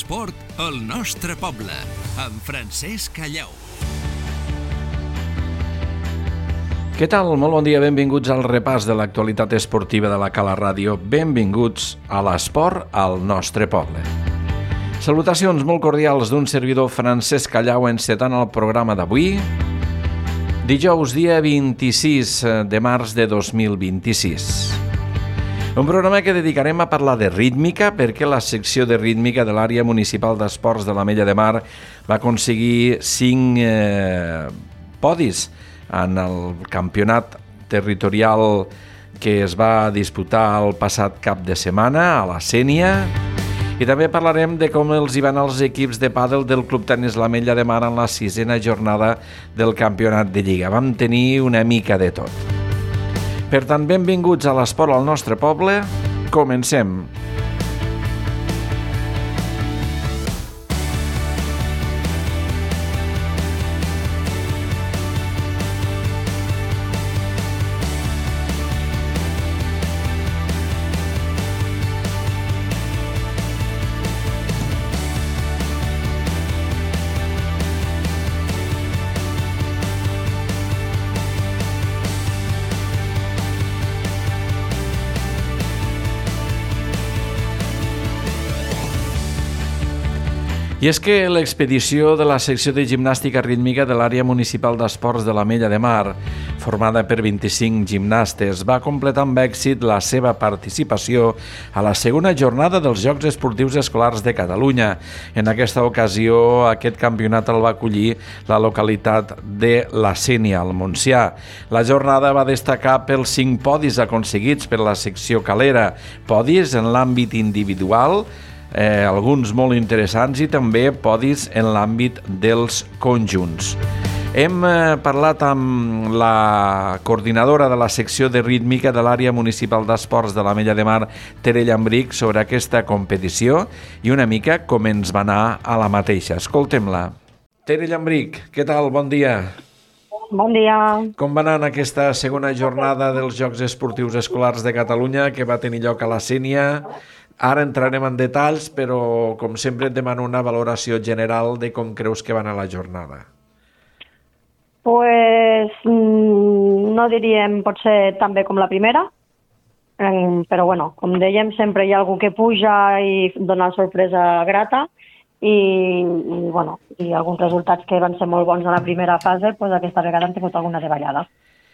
L'esport al nostre poble, amb Francesc Callau. Què tal? Molt bon dia, benvinguts al repàs de l'actualitat esportiva de la Cala Ràdio. Benvinguts a l'esport al nostre poble. Salutacions molt cordials d'un servidor Francesc Callau encetant el programa d'avui. Dijous, dia 26 de març de 2026. Un programa que dedicarem a parlar de rítmica perquè la secció de rítmica de l'àrea municipal d'esports de l'Ametlla de Mar va aconseguir 5 podis en el campionat territorial que es va disputar el passat cap de setmana a la Sénia. I també parlarem de com els hi van els equips de pàdel del Club Tenis l'Ametlla de Mar en la 6a jornada del campionat de Lliga. Vam tenir una mica de tot. Per tant, benvinguts a l'esport al nostre poble. Comencem. I és que l'expedició de la secció de gimnàstica rítmica de l'àrea municipal d'esports de l'Ametlla de Mar, formada per 25 gimnastes, va completar amb èxit la seva participació a la segona jornada dels Jocs Esportius Escolars de Catalunya. En aquesta ocasió, aquest campionat el va acollir la localitat de la Sénia, al Montsià. La jornada va destacar pels 5 podis aconseguits per la secció calera, podis en l'àmbit individual, alguns molt interessants, i també podis en l'àmbit dels conjunts. Hem parlat amb la coordinadora de la secció de rítmica de l'àrea municipal d'esports de l'Ametlla de Mar, Tere Llambrich, sobre aquesta competició i una mica com ens va anar a la mateixa. Escoltem-la. Tere Llambrich, què tal? Bon dia. Bon dia. Com va anar en aquesta segona jornada dels Jocs Esportius Escolars de Catalunya que va tenir lloc a la Sénia? Ara entrarem en detalls, però com sempre et demano una valoració general de com creus que va anar la jornada. Pues no diríem potser tan bé com la primera, però bueno, com dèiem, sempre hi ha algú que puja i dona sorpresa grata i alguns resultats que van ser molt bons a la primera fase, pues aquesta vegada han tingut alguna davallada,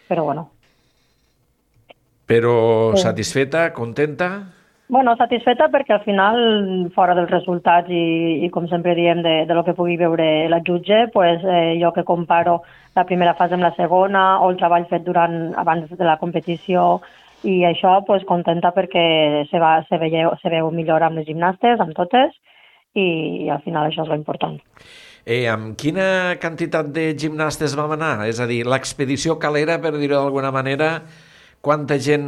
però bueno. Però satisfeta, contenta? Bueno, satisfeta perquè al final, fora dels resultats i com sempre diem de lo que pugui veure la jutge, pues, jo que comparo la primera fase amb la segona o el treball fet abans de la competició i això, pues, contenta perquè se veu millor amb les gimnastes, amb totes, i al final això és l'important. Amb quina quantitat de gimnastes vam anar? És a dir, l'expedició calera, per dir-ho d'alguna manera, quanta gent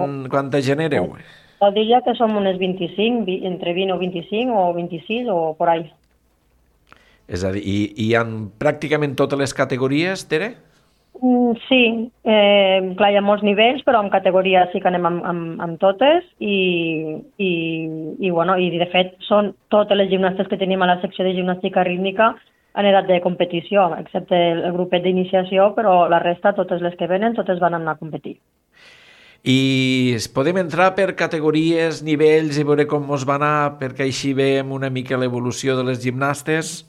éreu? Jo diria que som unes 25, entre 20 o 25 o 26 o por ahí. És a dir, hi ha pràcticament totes les categories, Tere? Sí, clar, hi ha molts nivells, però en categories sí que anem amb totes i de fet són totes les gimnastes que tenim a la secció de gimnàstica rítmica en edat de competició, excepte el grupet d'iniciació, però la resta, totes les que venen, totes van anar a competir. I podem entrar per categories, nivells i veure com mos va anar, perquè així veiem una mica l'evolució de les gimnastes?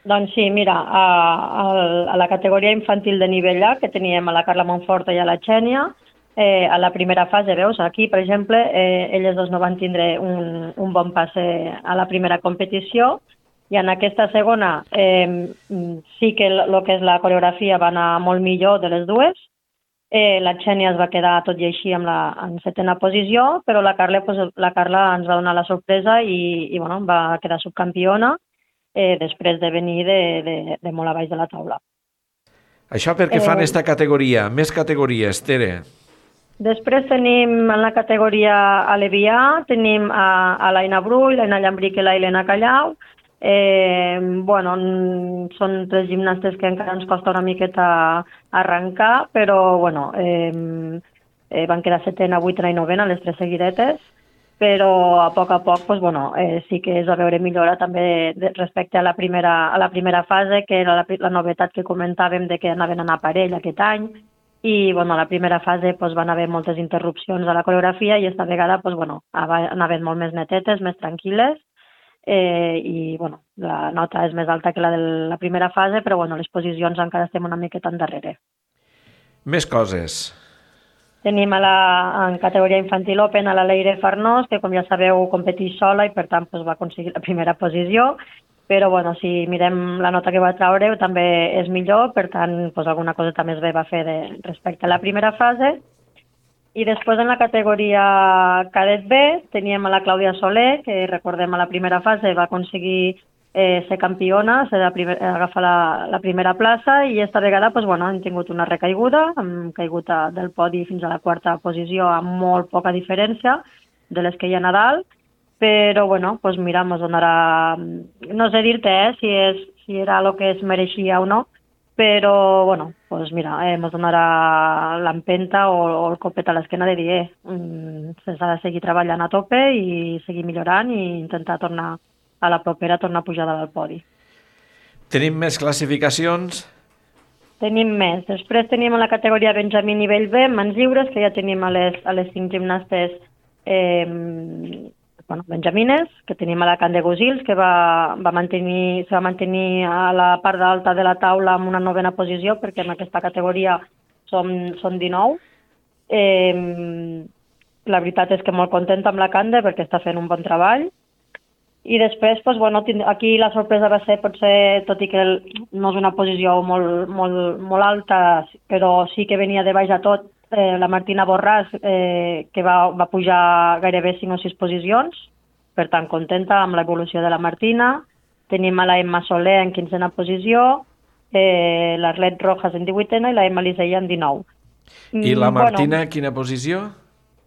Doncs sí, mira, a la categoria infantil de nivell A, que teníem a la Carla Monforta i a la Xènia, a la primera fase, veus, aquí, per exemple, elles dos no van tindre un bon passe a la primera competició, i en aquesta segona sí que el que és la coreografia va anar molt millor de les dues. La Xènia es va quedar tot i així en 7a posició, però la Carla ens va donar la sorpresa i va quedar subcampiona després de venir de molt a baix de la taula. Això perquè fan aquesta categoria. Més categories, Tere. Després tenim en la categoria Alevià, tenim a l'Aina Brull, l'Aina Llambrich i l'Helena Callau. Són 3 gimnastes que encara ens costa una miqueta arrencar, però van quedar 7ena, 8ena i 9ena, les 3 seguidetes. però a poc, doncs, bueno, sí que es va veure millora també respecte a la primera fase, que era la novetat que comentàvem de que anaven a anar a parell aquest any, i bueno, a la primera fase doncs, van haver moltes interrupcions a la coreografia i esta vegada doncs, bueno, anaven molt més netetes, més tranquil·les, i bueno, la nota és més alta que la de la primera fase, però bueno, les posicions encara estem una miqueta endarrere. Més coses. Tenim en categoria infantil open a la Leire Farnós, que com ja sabeu competeix sola i per tant doncs, va aconseguir la primera posició, però bueno, si mirem la nota que va treure també és millor, per tant doncs, alguna cosa també es va fer respecte a la primera fase. I després en la categoria cadet B teníem a la Clàudia Soler, que recordem a la primera fase va aconseguir ser campiona, agafar la primera plaça, i esta vegada doncs, bueno, hem tingut una recaiguda, hem caigut del podi fins a la quarta posició amb molt poca diferència de les que hi ha a dalt, però bueno, doncs mira, ens donarà, no sé dir-te si era el que es mereixia o no, però bueno, doncs mira, ens donarà l'empenta o el copet a l'esquena de dir s'ha de seguir treballant a tope i seguir millorant i intentar tornar a la propera, tornar a pujar dalt al podi. Tenim més classificacions? Tenim més. Després tenim la categoria Benjamí nivell B, mans lliures, que ja tenim a les 5 gimnastes benjamines, que tenim a la Can de Gosils, que se va mantenir a la part alta de la taula amb una 9a posició, perquè en aquesta categoria són 19. La veritat és que molt contenta amb la Cande perquè està fent un bon treball. I després, doncs, bueno, aquí la sorpresa va ser, potser, tot i que no és una posició molt alta, però sí que venia de baix a tot, la Martina Borràs, que va pujar gairebé 5 o 6 posicions, per tant, contenta amb l'evolució de la Martina. Tenim a la Emma Soler en 15a posició, l'Arlet Rojas en 18a i la Emma Lisella en 19. I la Martina, quina posició?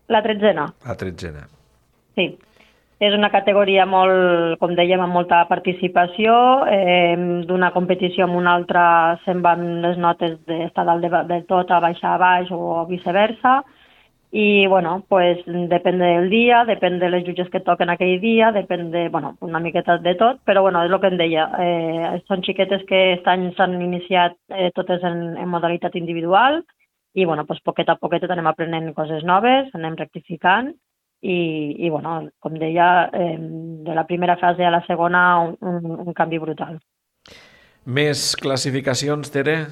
La 13a. La 13a. Sí. És una categoria molt, com dèiem, amb molta participació, d'una competició amb una altra se'n van les notes d'estar dalt de tot a baixar a baix o viceversa, i bueno, pues, depèn del dia, depèn de les jutges que toquen aquell dia, depèn de, bueno, una miqueta de tot, però bueno, és el que em deia, són xiquetes que aquest any s'han iniciat totes en modalitat individual, i bueno, pues, poquet a poquet anem aprenent coses noves, anem rectificant, i bueno, com deia, de la primera fase a la segona un canvi brutal. Més classificacions, Tere?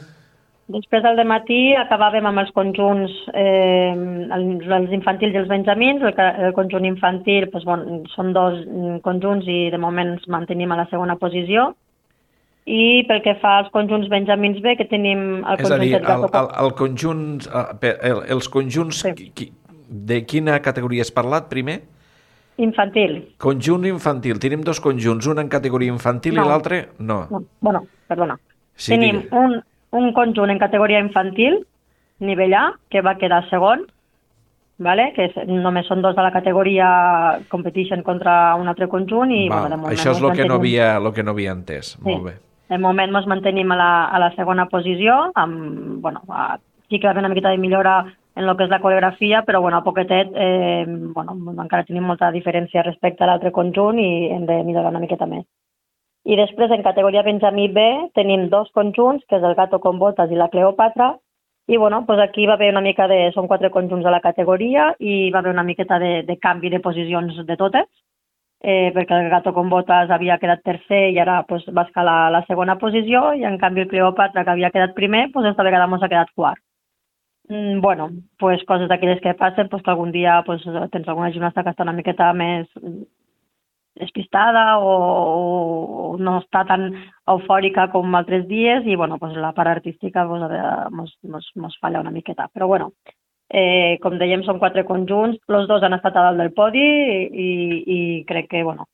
Després del dematí acabàvem amb els conjunts, els infantils i els benjamins. El conjunt infantil doncs, bueno, són 2 conjunts i de moment ens mantenim a la segona posició. I pel que fa als conjunts benjamins B, que tenim el conjunt... És a dir, els conjunts... Sí. De quina categoria has parlat primer? Infantil. Conjunt infantil. Tenim 2 conjunts, un en categoria infantil i l'altre no. Bueno, perdona. Sí, tenim un conjunt en categoria infantil, nivell A, que va quedar segon, vale? Que només són 2 de la categoria, competeixen contra un altre conjunt. I, bueno, de moment això és el que no havia entès. Sí. Molt bé. De moment ens mantenim a la segona posició, amb, bueno, sí que va haver una miqueta de millora en el que és la coreografia, però bueno, a poquetet encara tenim molta diferència respecte a l'altre conjunt i hem de millorar una miqueta més. I després, en categoria Benjamí B, tenim 2 conjunts, que és el Gato con Botas i la Cleopatra, i bueno, doncs aquí va haver una mica són 4 conjunts a la categoria i va haver una miqueta de canvi de posicions de totes, perquè el Gato con Botas havia quedat tercer i ara doncs, va escalar a la segona posició, i en canvi el Cleopatra, que havia quedat primer, doncs esta vegada ens ha quedat quart. Bueno, pues coses d'aquelles que passen, pues que algun dia pues, tens alguna gimnasta que està una miqueta més despistada o no està tan eufòrica com altres dies, i bueno, pues la part artística pues, mos falla una miqueta. Però bueno, com dèiem, són 4 conjunts, els 2 han estat a dalt del podi i crec que, bueno,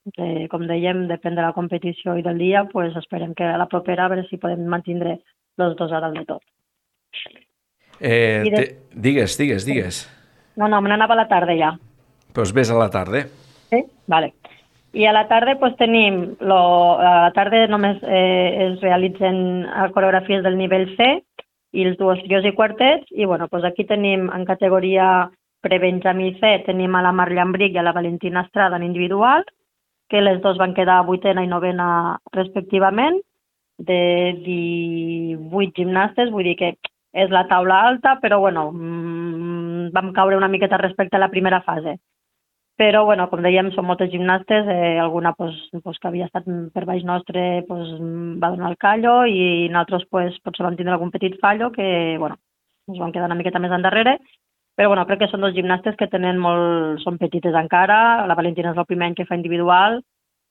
com dèiem, depèn de la competició i del dia, pues esperem que a la propera a veure si podem mantenir els 2 a dalt de tot. Digues. No, me n'anava a la tarda ja. Doncs ves a la tarda. Sí? Vale. I a la tarda doncs, tenim, a la tarda només es realitzen coreografies del nivell C i els duos trios i quartets, i bueno, doncs aquí tenim en categoria prebenjamí C tenim a la Mar Llambric i a la Valentina Estrada en individual, que les dos van quedar 8a i 9a respectivament, de 18 gimnastes, vull dir que és la taula alta, però bueno, vam caure una miqueta respecte a la primera fase. Però, bueno, com dèiem, són moltes gimnastes, alguna que havia estat per baix nostre va donar el callo i nosaltres potser vam tindre algun petit fallo que, bueno, ens vam quedar una miqueta més endarrere, però, bueno, crec que són dos gimnastes que són petites encara, la Valentina és el primer any que fa individual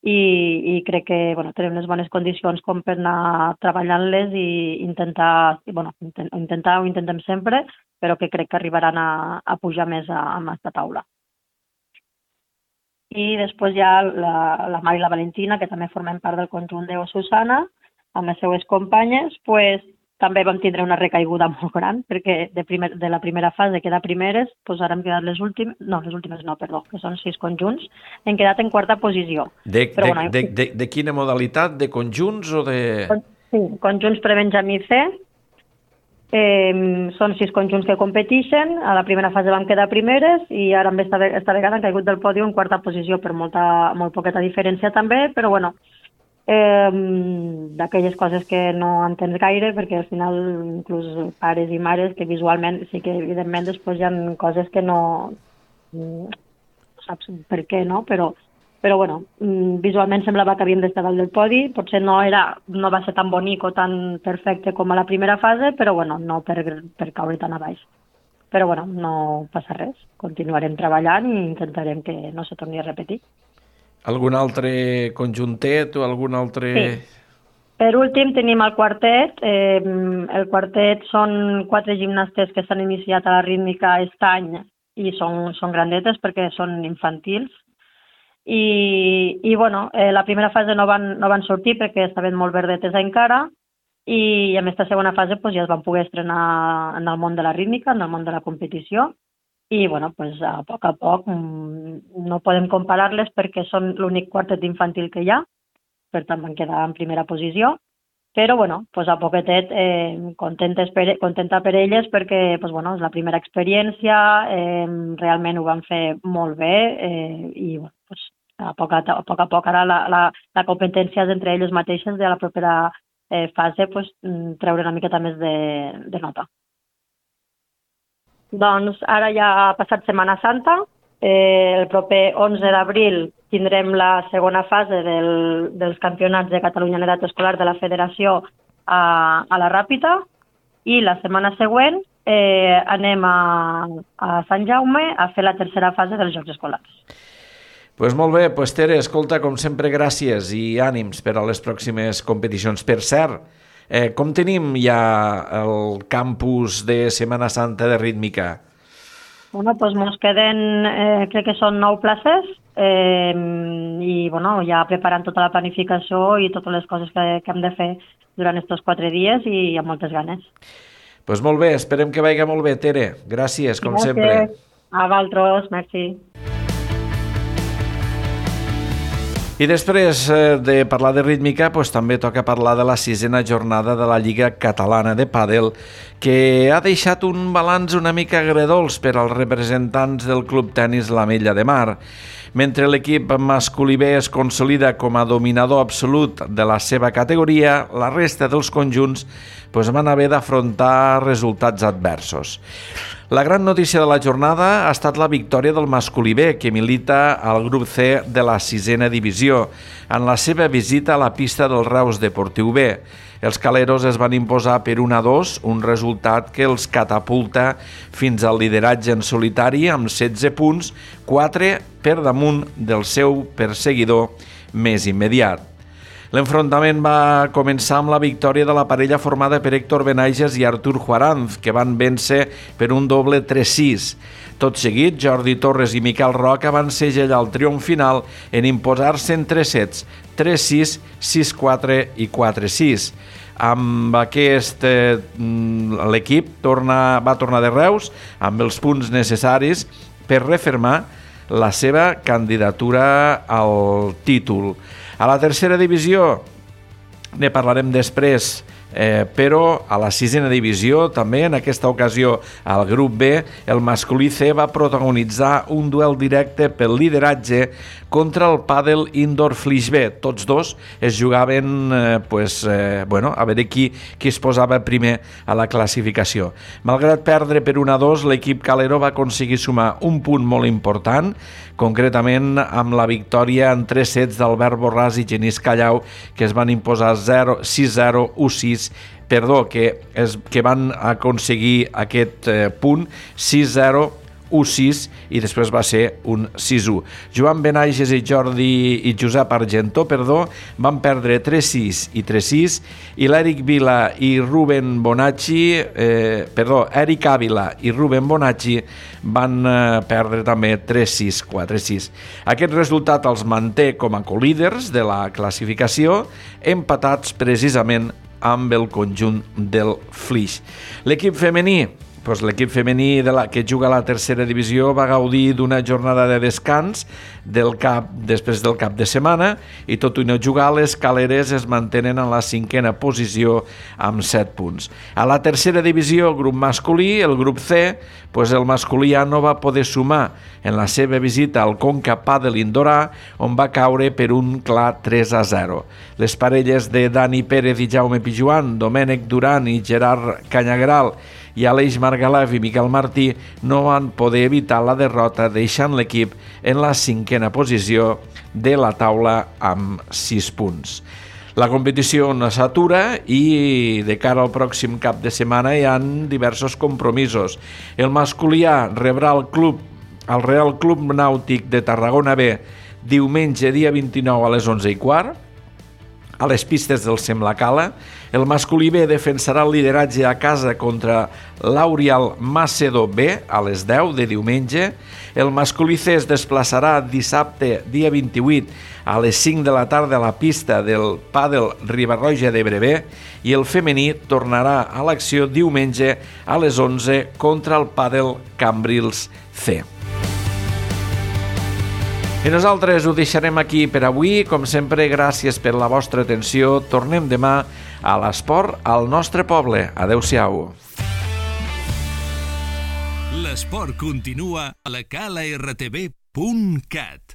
i crec que, bueno, tenen unes bones condicions com per anar treballant-les i ho intentem sempre, però que crec que arribaran a pujar més a aquesta taula. I després hi ha la Mar i la Valentina, que també formen part del conjunt de Susana, amb les seues companyes, també vam tindre una recaiguda molt gran, perquè de la primera fase, quedar primeres, ara hem quedat les últimes no, perdó, que són 6 conjunts, hem quedat en quarta posició. De quina modalitat? De conjunts o de...? Sí, conjunts prebenjamí C. Són 6 conjunts que competeixen, a la primera fase vam quedar primeres i ara amb esta vegada han caigut del pòdio en quarta posició per molt poqueta diferència també, però bueno, d'aquelles coses que no entens gaire, perquè al final inclús pares i mares que visualment sí que evidentment després hi ha coses que no saps per què, no? Però bueno, visualment semblava que havíem d'estar dalt del podi, potser no va ser tan bonic o tan perfecte com a la primera fase, però bueno, no per caure tan a baix. Però bueno, no passa res, continuarem treballant i intentarem que no se torni a repetir. Algun altre conjuntet o algun altre... Sí. Per últim tenim el quartet. El quartet són 4 gimnastes que s'han iniciat a la rítmica aquest any i són grandetes perquè són infantils. I bueno, la primera fase no van sortir perquè estaven molt verdetes encara i en aquesta segona fase ja es van poder estrenar en el món de la rítmica, en el món de la competició i bueno, a poc no podem comparar-les perquè són l'únic quartet infantil que hi ha, per tant van quedar en primera posició, però bueno, a poquetet contenta per elles perquè bueno, és la primera experiència, realment ho van fer molt bé i bueno, a poc a poc ara la competència és entre elles mateixes de la propera fase treure una miqueta més de nota. Doncs ara ja ha passat Setmana Santa, el proper 11 d'abril tindrem la segona fase dels campionats de Catalunya en edat escolar de la Federació a la Ràpita i la setmana següent anem a Sant Jaume a fer la tercera fase dels Jocs Escolars. Pues molt bé, Tere, escolta, com sempre, gràcies i ànims per a les pròximes competicions. Per cert, com tenim ja el campus de Setmana Santa de rítmica? Bueno, mos queden, crec que són 9 places i bueno, ja preparant tota la planificació i totes les coses que hem de fer durant aquests 4 dies i amb moltes ganes. Pues molt bé, esperem que vagi molt bé, Tere. Gràcies, com sempre. A vosaltres, merci. I després de parlar de rítmica, també toca parlar de la 6a jornada de la Lliga Catalana de Pàdel, que ha deixat un balanç una mica agredolç per als representants del Club Tenis l'Ametlla de Mar. Mentre l'equip masculí B es consolida com a dominador absolut de la seva categoria, la resta dels conjunts van haver d'afrontar resultats adversos. La gran notícia de la jornada ha estat la victòria del masculí B, que milita al grup C de la 6a divisió, en la seva visita a la pista del Reus Deportiu B. Els caleros es van imposar per 1-2, un resultat que els catapulta fins al lideratge en solitari amb 16 punts, 4 per damunt del seu perseguidor més immediat. L'enfrontament va començar amb la victòria de la parella formada per Héctor Benages i Artur Juaranz, que van vèncer per un doble 3-6. Tot seguit, Jordi Torres i Miquel Roca van segellar el triomf final en imposar-se en 3 sets, 3-6, 6-4 i 4-6. Amb aquest, l'equip va tornar de Reus amb els punts necessaris per refermar la seva candidatura al títol. A la tercera divisió ne parlarem després, però a la 6a divisió, també en aquesta ocasió al grup B, el masculí C va protagonitzar un duel directe pel lideratge contra el Padel Indoor Flix B. Tots dos es jugaven a veure qui es posava primer a la classificació. Malgrat perdre per 1-2, l'equip Calero va aconseguir sumar un punt molt important, concretament amb la victòria en 3 sets d'Albert Borràs i Genís Callau, que es van imposar 6-0, 1-6, que van aconseguir aquest punt 6-0, 1-6 i després va ser un 6-1. Joan Benages i Josep Argentó, van perdre 3-6 i 3-6 i l'Eric Vila i Ruben Bonacci, Eric Ávila i Ruben Bonacci van perdre també 3-6, 4-6. Aquest resultat els manté com a colíders de la classificació, empatats precisament amb el conjunt del Flix. L'equip femení que juga a la 3a divisió va gaudir d'una jornada de descans després del cap de setmana i tot i no jugar, les caleres es mantenen en la 5a posició amb 7 punts. A la 3a divisió, grup masculí, el grup C, el masculí A no va poder sumar en la seva visita al Conca Padel Indorà, on va caure per un clar 3-0. Les parelles de Dani Pérez i Jaume Pijuan, Domènec Duran i Gerard Canyagral i Aleix Margalef i Miquel Martí no van poder evitar la derrota, deixant l'equip en la 5a posició de la taula amb 6 punts. La competició no s'atura i de cara al pròxim cap de setmana hi ha diversos compromisos. El masculí A rebrà el Real Club Nàutic de Tarragona B diumenge dia 29 a les 11:15 a les pistes del Semlacala. El masculí B defensarà el lideratge a casa contra l'Aurial Macedo B a les 10 de diumenge. El masculí C es desplaçarà dissabte, dia 28, a les 5 de la tarda a la pista del Pàdel Riba-roja d'Ebre B i el femení tornarà a l'acció diumenge a les 11 contra el Pàdel Cambrils C. I nosaltres ho deixarem aquí per avui. Com sempre, gràcies per la vostra atenció. Tornem demà a l'esport al nostre poble. Adéu-siau. L'esport continua a la cala rtv.cat.